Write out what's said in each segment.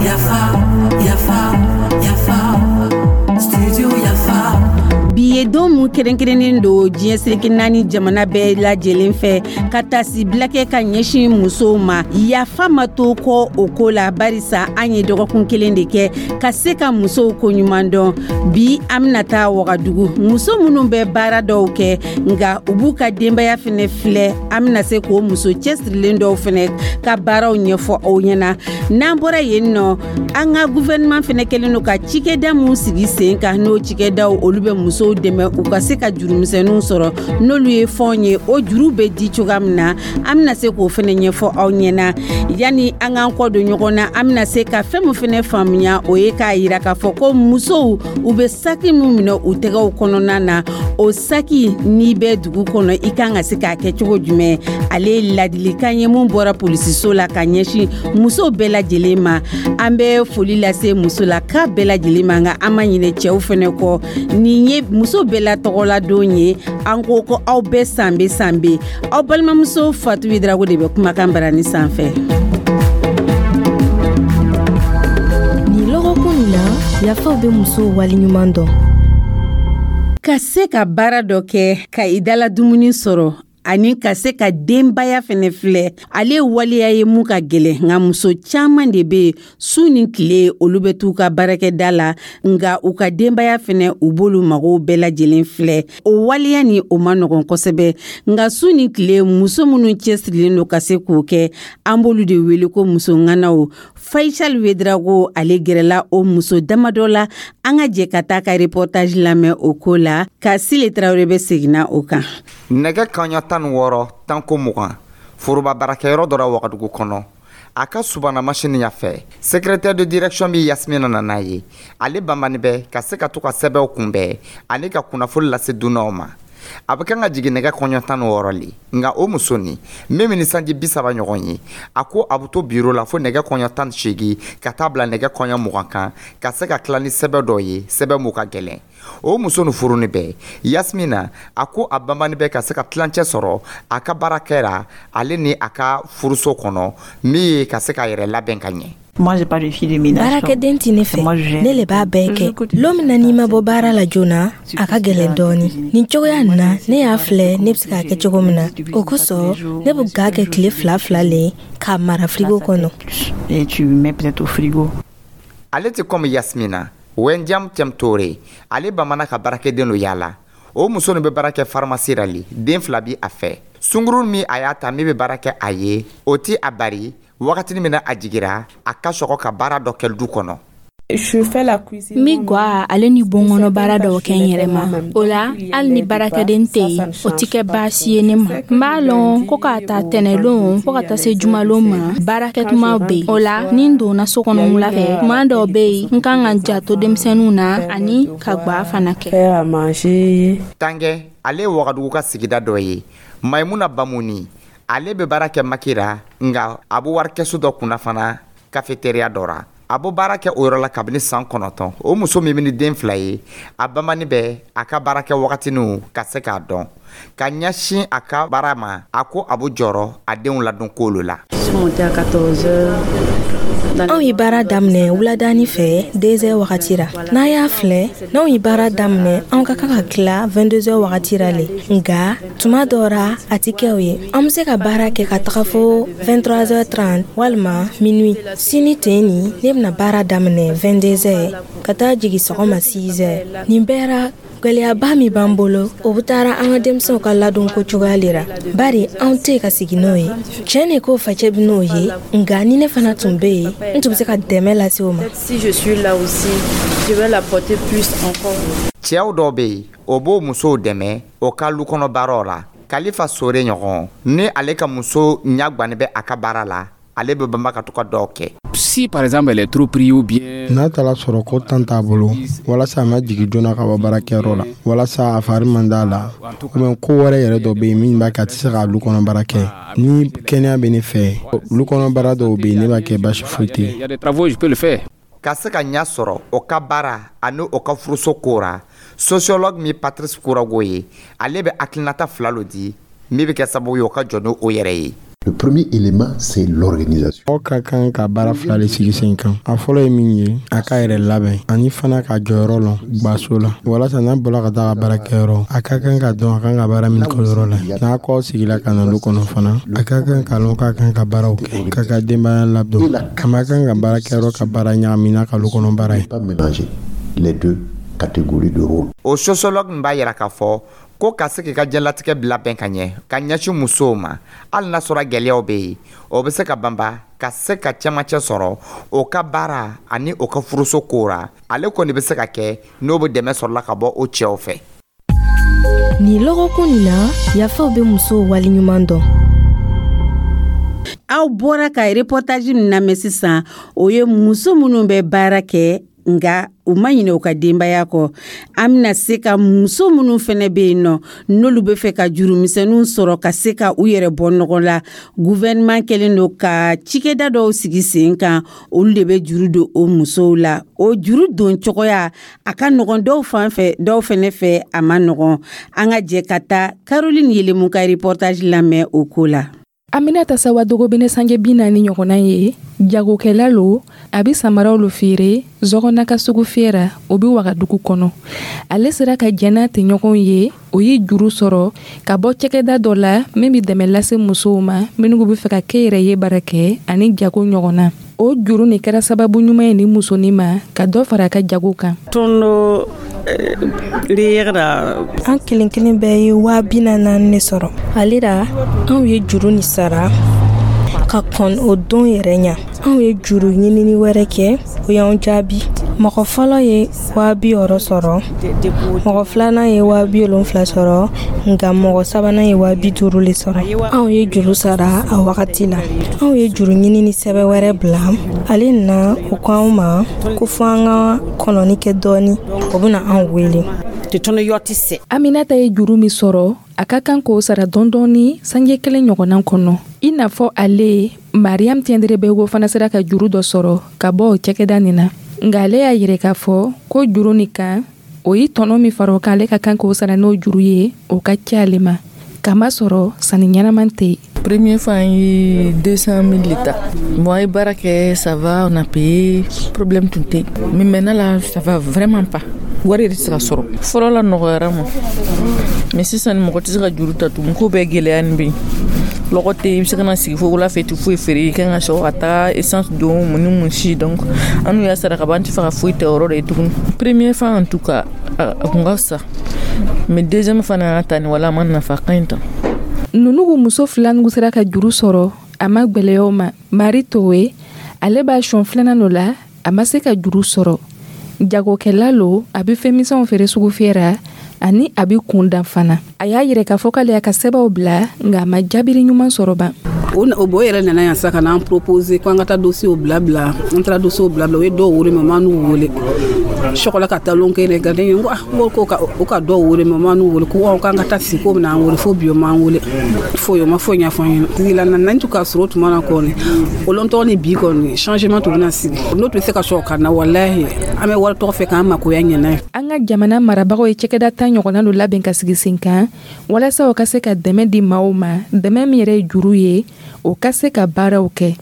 Yafa, yafa, yafa, studio Yafa. Bi ye don mun kɛrɛnkɛrɛnnen don diɲɛ seleke naani jamana bɛɛ lajɛlen fɛ ka taasibila kɛ ka ɲɛsin musow ma. Yafa ma to kɔ o ko la, barisa an ye dɔgɔkun kelen de kɛ ka se ka musow koɲuman dɔn. Bi, an bɛna taa Wagadugu, muso minnu bɛ baara dɔw kɛ nka u b'u ka denbaya fɛnɛ filɛ, an bɛna se k'o muso cɛsirilen dɔw fɛnɛ ka baaraw ɲɛfɔ aw ɲɛna. N'an bɔra yen nɔ, an ka gouvernement fɛnɛ kɛlen don ka cikɛda mun sigi sen kan, n'o cikɛdaw olu bɛ musow dɛmɛ u ka se ka jurumisɛnninw sɔrɔ, n'olu ye fɔn ye, o juru bɛ di cogoya min na, an bɛna se k'o fɛnɛ ɲɛfɔ aw ɲɛna. Yanni an k'an kɔ don ɲɔgɔn na, an bɛna se ka fɛn min fɛnɛ faamuya, o ye k'a yira k'a fɔ ko musow, u bɛ saki min minɛ u tɛgɛw kɔnɔna na, o saki, n'i bɛ dugu kɔnɔ, i kan ka se k'a kɛ cogo jumɛn. Ale ye ladilikan ye mun bɔra polisiso la ka ɲɛsin musow bɛɛ lajɛlen ma. An bɛ foli lase musolaka bɛɛ lajɛlen ma, nka an ma ɲinɛ cɛw fɛnɛ kɔ. Nin ye muso bɛɛ la tɔgɔladon ye. An ko ko aw bɛɛ sanbe sanbe. Aw balimamuso Fatu Drago de bɛ kumakan barani sanfɛ. Nin lɔgɔkun nin na, Yafaw bɛ musow waleɲuman dɔn. Ka se ka baara dɔ kɛ ka i dala dumuni sɔrɔ ani ka se ka denbaya fɛnɛ filɛ, ale waleya ye mun ka gɛlɛn. Nka muso caman de bɛ yen, su ni tile olu bɛ t'u ka baarakɛda la, nka u ka denbaya fɛnɛ, u b'olu magow bɛɛ lajɛlen filɛ. O waleya ni o ma nɔgɔn kosɛbɛ, nka su ni tile muso minnu cɛsirilen don ka se k'o kɛ, an b'olu de wele ko muso ŋanaw. Faisal Wedrago, ale gɛrɛla o muso damadɔ la. An ka jɛ ka taa ka reportage lamɛn o ko la, ka Sile Tarawele bɛ seginna o kan. Nɛgɛ kaɲa 16 tanko 20, foroba baarakɛyɔrɔ dɔ la Wagadugu kɔnɔ, a ka subana masini ɲɛfɛ, secrétaire de direction min Yasmina nana ye, ale banbani bɛ ka se ka to ka sɛbɛnw kunbɛn ani ka kunnafoni lase dunanw ma. A bɛ kan ka jigin nɛgɛ kɔɲɔ 16 le. Nka o muso nin min bɛ ni sanji 30 ɲɔgɔn ye, a ko a bɛ to biro la fo nɛgɛ kɔɲɔ 18 ka taa bila nɛgɛ kɔɲɔ 20 kan, ka se ka tila ni sɛbɛn dɔ ye, sɛbɛn mun ka gɛlɛn. O muso nin furuni bɛ Yasmina. A ko a banbani bɛ ka se ka tilancɛ sɔrɔ a ka baarakɛ ra, ale ni a ka furuso kɔnɔ, min ye ka se k'a yɛrɛ labɛn ka ɲɛ. Baarakɛden tɛ ne fɛ, ne le b'a bɛɛ kɛ. Lon min na n'i ma bɔ baara la joona, a ka gɛlɛn dɔɔni. Nin cogoya nin na, ne y'a filɛ ne bɛ se k'a kɛ cogo min na. O kosɔn ne bɛ ga kɛ tile fila fila le k'a mara firigo kɔnɔ. Ale tɛ komi Yasmina. Wenjam Tɛmtore, ale bamana ka baarakɛden lo yaala. O muso nin bɛ baara kɛ faramasi ra le. Den fila bi a fɛ. Sungurun min a y'a ta min bɛ baara kɛ a ye, o ti a bari wagatini min na a jigira, a ka sɔgɔ ka baara dɔ kɛ du kɔnɔ. N bi gwa ale ni bonkɔnɔ baara dɔw kɛ n yɛrɛ ma. O la, hali ni baarakɛden tɛ yen, o tɛ kɛ baasi ye ne ma. N b'a lɔn ko k'a ta tɛnɛlon fo ka taa se jumalon ma, baarakɛtumaw bɛ yen. O la, ni n donna so kɔnɔ wula fɛ, tuma dɔw bɛ yen, n kan ka n janto denmisɛnninw na ani ka gwa fana kɛ. Tangɛ, ale ye Wagadugu ka sigida dɔ ye. Maimuna Bamuni, ale bɛ baara kɛ Makira, nka a bɛ warikɛso dɔ kunna fana cafétéria dɔ ra. A bɛ baara kɛ o yɔrɔ la kabini san 9. O muso min bɛ ni den fila ye, a bamani bɛ a ka baara kɛ wagatiniw ka se k'a dɔn ka ɲɛsin a ka baara ma. A ko a bɛ jɔrɔ a denw ladon ko la. Anw ye baara daminɛ wuladani fɛ, 2h wagati ra. N'a y'a filɛ, n'anw ye baara daminɛ, anw ka kan ka tila 22h wagati ra le. Nka tuma dɔ ra, a tɛ kɛ o ye. An bɛ se ka baara kɛ ka taga fo 23h30 walima minuit. Sini ten nin, ne bɛna baara daminɛ 22h ka taa jigin sɔgɔma 6h. Nin bɛɛ ra, gwɛlɛyaba min b'an bolo, o bɛ taara an ka denmisɛnw ka ladonko cogoya le ra, bari anw tɛ ka sigi n'o ye. Tiɲɛ de ko facɛ bɛ n'o ye, nka ni ne fana tun bɛ yen, n tun bɛ se ka dɛmɛ lase o ma. Cɛw dɔw bɛ yen, o b'o musow dɛmɛ o ka lu kɔnɔ baaraw la. Kalifa Sore ɲɔgɔn ni ale ka muso ɲagbanin bɛ a ka baara la, ale bɛ banba ka to ka dɔw kɛ. Si par exemple elle est trop prise ou bien n'a taara sɔrɔ ko tan t'a bolo, walasa a ma jigin joona ka bɔ baarakɛyɔrɔ la, walasa a fari man d'a la, ou bien ko wɛrɛ yɛrɛ dɔ bɛ yen min b'a kɛ a tɛ se ka lu kɔnɔ baara kɛ, ni kɛnɛya bɛ ne fɛ, lu kɔnɔ baara dɔw bɛ yen, ne b'a kɛ, basi foyi tɛ yen. Il y a des travaux, je peux le faire. Ka se ka ɲɛ sɔrɔ o ka baara ani o ka furuso ko ra, sociologue min Patrice Kourago ye, ale bɛ hakilinata fila lo di min bɛ kɛ sababu ye o ka jɔ n'o yɛrɛ ye. Le premier élément, c'est l'organisation. Aw ka kan ka baara fila de sigi sen kan. A fɔlɔ ye min ye, a ka yɛrɛ labɛn ani fana ka jɔyɔrɔ lɔn gwaso la, walasa n'a bɔla ka taa ka baarakɛyɔrɔ, a ka kan ka dɔn a kan ka baara min kɛ yɔrɔ la. N'a kɔ sigila ka na lu kɔnɔ fana, a ka kan ka lɔn k'a kan ka baaraw kɛ k'a ka denbaya ladon. A ma kan ka baarakɛyɔrɔ ka baara ɲagami n'a ka lu kɔnɔ baara ye. Pas mélanger les deux catégories de rôles. O sociologue b'a yira k'a fɔ ko ka se k'i ka diɲɛlatigɛ bila bɛn ka ɲɛ ka ɲɛsin musow ma, hali n'a sɔrɔ gɛlɛyaw bɛ yen, o bɛ se ka banba ka se ka cɛmancɛ sɔrɔ o ka baara ani o ka furuso ko ra. Ale kɔni bɛ se ka kɛ n'o bɛ dɛmɛ sɔrɔla ka bɔ o cɛw fɛ. Nin lɔgɔkun nin na, Yafaw bɛ musow waleɲuman dɔn. Aw bɔra ka reportage min lamɛn sisan, o ye muso minnu bɛ baara kɛ nka u ma ɲinɛ u ka denbaya kɔ. An bɛna se ka muso minnu fɛnɛ bɛ yen nɔ, n'olu bɛ fɛ ka jurumisɛnninw sɔrɔ ka se ka u yɛrɛ bɔ nɔgɔ la, gouvernement kɛlen don ka cikɛda dɔw sigi sen kan, olu de bɛ juru don o musow la. O juru don cogoya a ka nɔgɔn dɔw fan fɛ, dɔw fɛnɛ fɛ a ma nɔgɔn. An ka jɛ ka taa Caroline Yelemu ka reportage lamɛn o ko la. Aminata Sawadogo bene sange 40 ɲɔgɔnna ye, jagokɛla lo. A bi samaraw lo feere Zɔgɔna ka sugu fiyɛra, o bi Wagadugu kɔnɔ. Ale sera ka jɛn n'a tɛɲɔgɔnw ye, o ye juru sɔrɔ ka bɔ cɛkɛda dɔ la min bi dɛmɛ lase musow ma minnu be fɛ ka kɛ yɛrɛ ye baara kɛ ani jago ɲɔgɔnna. O juru nin kɛra sababu ɲuman ye ni musonin ma ka dɔ fara a ka jago kan. An kelen kelen bɛɛ ye 44,000 de sɔrɔ ale la. Anw ye juru ni sara ka kɔn o don yɛrɛ ɲa. Anw ye juru ɲinini wɛrɛ kɛ, o y'anw jaabi. Mɔgɔ fɔlɔ ye 60,000 sɔrɔ, mɔgɔ filanan ye 70,000 sɔrɔ, nka mɔgɔ sabanan ye 50,000 le sɔrɔ. Anw ye juru sara a wagati la. Anw ye juru ɲinini sɛbɛn wɛrɛ bila ale na, o ko anw ma ko fo an ka kɔnɔni kɛ dɔɔni, o bɛna anw wele. Aminata ye juru min sɔrɔ, a ka kan k'o sara dɔɔni sange kelen ɲɔgɔnna kɔnɔ. I n'a fɔ ale, Mariam Tiendrebego fana sera ka juru dɔ sɔrɔ ka bɔ o cakɛda nin na, nka ale y'a yɛrɛ k'a fɔ ko juru nin kan, o ye tɔnɔ min fara o kan, ale ka kan k'o sara n'o juru ye, o ka ca ale ma, kamasɔrɔ sanni ɲɛnaman tɛ yen. Première fois, an ye 200 000 de. Bon, an ye baara kɛ, ça va, on a payé, problème tun tɛ. Mais maintenant là, ça va vraiment pas. Wari yɛrɛ tɛ se ka sɔrɔ. Fɔlɔ la nɔgɔyara ma. Mais sisan mɔgɔ tɛ se ka juru ta tugun, ko bɛɛ gɛlɛya nin bɛ yen. Lɔgɔ tɛ yen, i bɛ se ka na sigi fo wula fɛ, i tɛ foyi feere, i kan ka sɔrɔ ka taa essence don, mun ni mun si. Donc an n'u y'a sara ka ban, an tɛ fɛ ka foyi ta yɔrɔ de ye tuguni. Première fois en tout cas, a kun ka fisa. Mais deuxième fana y'a ta nin wala a ma nafa ka ɲi tan. Nunugu muso fila nugu sera ka juru sɔrɔ, a ma gwɛlɛyaw ma. Mari Towe, ale b'a sɔn filanan dɔ la, a ma se ka juru sɔrɔ. Jagokɛla lo, a bɛ fɛn misɛnw feere sugu fiyɛra ani a bɛ kun dan fana. A y'a yɛrɛ k'a fɔ k'ale y'a ka sɛbɛnw bila, nka a ma jaabiri ɲuman sɔrɔ ban. O bo yɛrɛ nana yan sa ka n'an proposer ko an ka taa dossier bila bila. An taara dossier bila bila, o ye dɔw wele, mais ma n'u wele sɔgɔla ka taa lon kelen gardien ko ah, ko ka o ka dɔw wele, mais ma n'u wele ko k'an ka taa sigi ko bɛna an wele. Fo bi o m'an wele foyi, o ma foyi ɲɛfɔ an ɲɛna. Sigila na n'an tun ka sɔrɔ tuma na kɔni, o lɔn tɔgɔ ni bi kɔni changement tun bɛna sigi n'o tun bɛ se ka sɔrɔ ka na. Walahi, an bɛ wari tɔgɔ fɛ k'an makoya ɲɛna ye. An ka jamana marabagaw ye cakɛda 10 ɲɔgɔnna dɔ labɛn ka sigi sen kan walasa o ka se ka dɛmɛ di maaw ma, dɛmɛ min yɛrɛ ye juru ye, o ka se ka baaraw kɛ.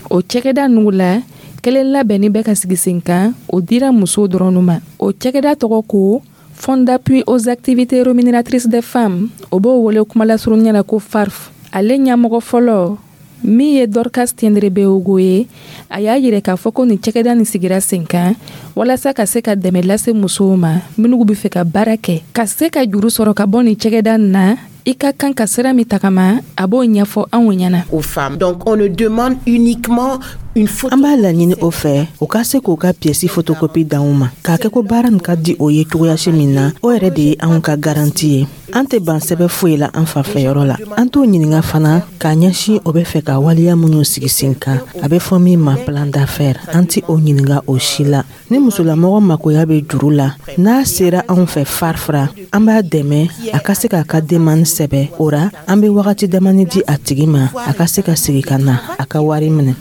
O cakɛda nugu la kelen labɛnni bɛ ka sigi sen kan, o dira musow dɔrɔn ma. O cakɛda tɔgɔ ko Fonds d'appui aux activités rémunératrices des femmes, o b'o wele kumalasurunya la ko FARF. Ale ɲɛmɔgɔ fɔlɔ min ye Dorcas Tiendrebeogo ye, a y'a yɛrɛ k'a fɔ ko nin cakɛda nin sigira sen kan walasa ka se ka dɛmɛ lase musow ma minnu bɛ fɛ ka baara kɛ. Ka se ka juru sɔrɔ ka bɔ nin cakɛda nin na, i ka kan ka sira min tagama, a b'o ɲɛfɔ anw ɲɛna. Aux femmes. Donc on ne demande uniquement une photo. An b'a laɲini o fɛ, o ka se k'o ka pièce photocopie d'anw ma k'a kɛ ko baara nin ka di o ye cogoyasi min na, o yɛrɛ de ye anw ka garantie ye. An tɛ ban sɛbɛ foyi la an fanfɛyɔrɔ la. An t'o ɲininga fana k'a ɲɛsin o bɛ fɛ ka waleya minnu sigi sen kan, a bɛ fɔ min ma plan d'affaires, an ti o ɲininga o si la. Ni musolamɔgɔ makoya bɛ juru la, n'a sera anw fɛ FARF ra, an b'a dɛmɛ a ka se k'a ka demande sɛbɛ. O ra, an bɛ wagati damani di a tigi ma a ka se ka segi ka na a ka wari minɛ.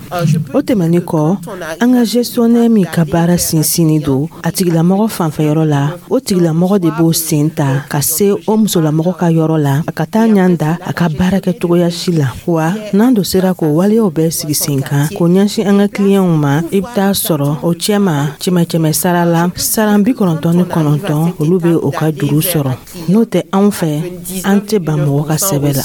O tɛmɛni kɔ, an ka gestionnaire min ka baara sinsinni don a tigilamɔgɔ fanfɛyɔrɔ la, o tigilamɔgɔ de b'o sen ta ka se o musolamɔgɔ. musolamɔgɔ ka yɔrɔ la ka taa ɲan da a ka baara kɛ cogoya si la. Wa n'an do sera k'o waleyaw bɛɛ sigi sen kan k'o ɲɛsin an ka kiliyanw ma, i bɛ taa sɔrɔ o cɛma 100 sara la, saran 99 olu bɛ o ka juru sɔrɔ. N'o tɛ, anw fɛ, an tɛ ban mɔgɔ ka sɛbɛ la.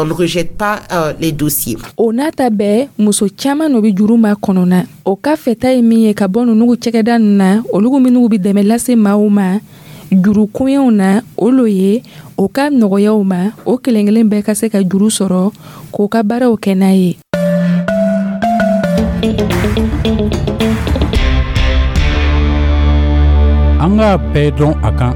On ne rejette pas les dossiers. O n'a ta bɛɛ, muso caman no bɛ juru ma kɔnɔna. O ka fɛta ye min ye ka bɔ ninnu cɛkɛda ninnu na, olu minnu bɛ dɛmɛ lase maaw ma juru koɲɛw na, o lo ye o ka nɔgɔyaw ma, o kelen kelen bɛɛ ka se ka juru sɔrɔ k'o ka baaraw kɛ n'a ye. An k'a bɛɛ dɔn a kan.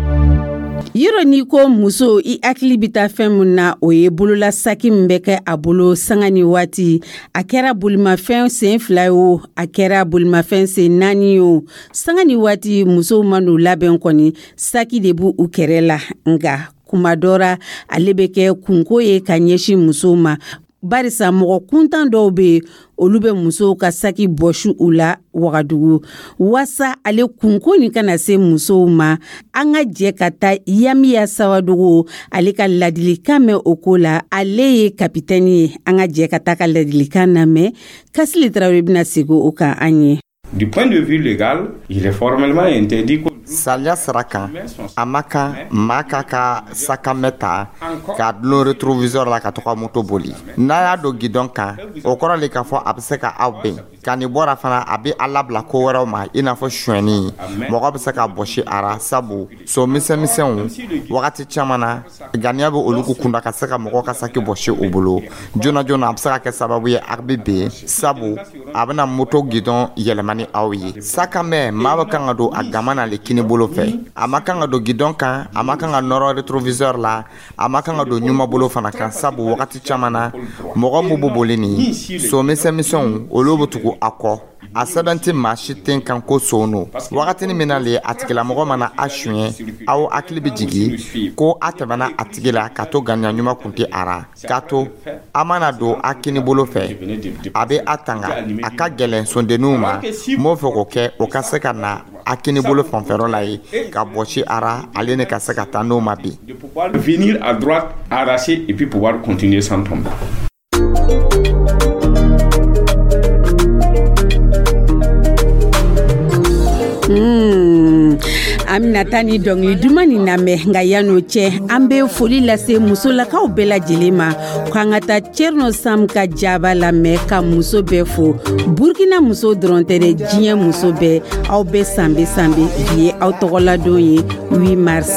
Yɔrɔ n'i ko muso, i hakili bɛ taa fɛn min na, o ye bolola saki min bɛ kɛ a bolo sanga ni waati. A kɛra bolimafɛn sen 2 ye o, a kɛra bolimafɛn sen 4 ye o, sanga ni waati musow ma n'u labɛn kɔni, saki de b'u u kɛrɛ la. Nka kuma dɔ ra, ale bɛ kɛ kunko ye ka ɲɛsin musow ma, barisa mɔgɔ kuntan dɔw bɛ yen, olu bɛ musow ka saki bɔsi u la Wagadugu. Waasa ale kunko nin kana se musow ma, an ka jɛ ka taa Yamiya Sawadogo ale ka ladilikan mɛn o ko la. Ale ye kapitɛni ye. An ka jɛ ka taa ka ladilikan lamɛn. Kasili Tarawele bɛna segin o kan an ye. Du point de vue légal, il est formellement interdit. Sariya sira kan, a ma kan maa k'a ka sakamɛ ta k'a dulon rétroviseur la ka to ka moto boli. N'a y'a don guidon kan, o kɔrɔ le k'a fɔ a bɛ se ka aw ben. Ka nin bɔra fana, a bɛ a labila ko wɛrɛw ma, i n'a fɔ sonyɛni. Mɔgɔ bɛ se ka bɔsi a ra, sabu so misɛnmisɛnw wagati caman na, ganiya bɛ olu kunda ka se ka mɔgɔ ka saki bɔsi u bolo joona joona. A bɛ se ka kɛ sababu ye a bɛ ben, sabu a bɛna moto guidon yɛlɛma ni aw ye. Sakamɛ, maa bɛ kan ka don a gama na le kini bolo fɛ. A ma kan ka don guidon kan, a ma kan ka nɔrɔ rétroviseur la, a ma kan ka don ɲuman bolo fana kan, sabu wagati caman na, mɔgɔ min b'u boli nin so misɛnmisɛnw, olu bɛ tugu a kɔ. A sɛbɛn tɛ maa si ten kan ko son don. Wagatinin min na le a tigilamɔgɔ mana a suɲɛ, aw hakili bɛ jigin ko a tɛmɛna a tigi la ka to ganiya ɲuman kun tɛ a ra. K'a to a mana don a kini bolo fɛ, a bɛ a tanga. A ka gɛlɛn sondenninw ma m'o fɛ k'o kɛ, o ka se ka na a kini bolo fanfɛyɔrɔ la ye ka bɔsi a ra, ale ne ka se ka taa n'o ma bin. Venir à droite, arracher et puis pouvoir continuer sans tomber. An bɛna taa ni dɔnkili duman nin lamɛn. Nka yan'o cɛ, an bɛ foli lase musolakaw bɛɛ lajɛlen ma, k'an ka taa Thierno Sam ka jaba lamɛn ka muso bɛɛ fo. Burkina muso dɔrɔn tɛ dɛ, diɲɛ muso bɛɛ, aw bɛɛ sanbe sanbe. Bi ye aw tɔgɔladon ye, 8 mars.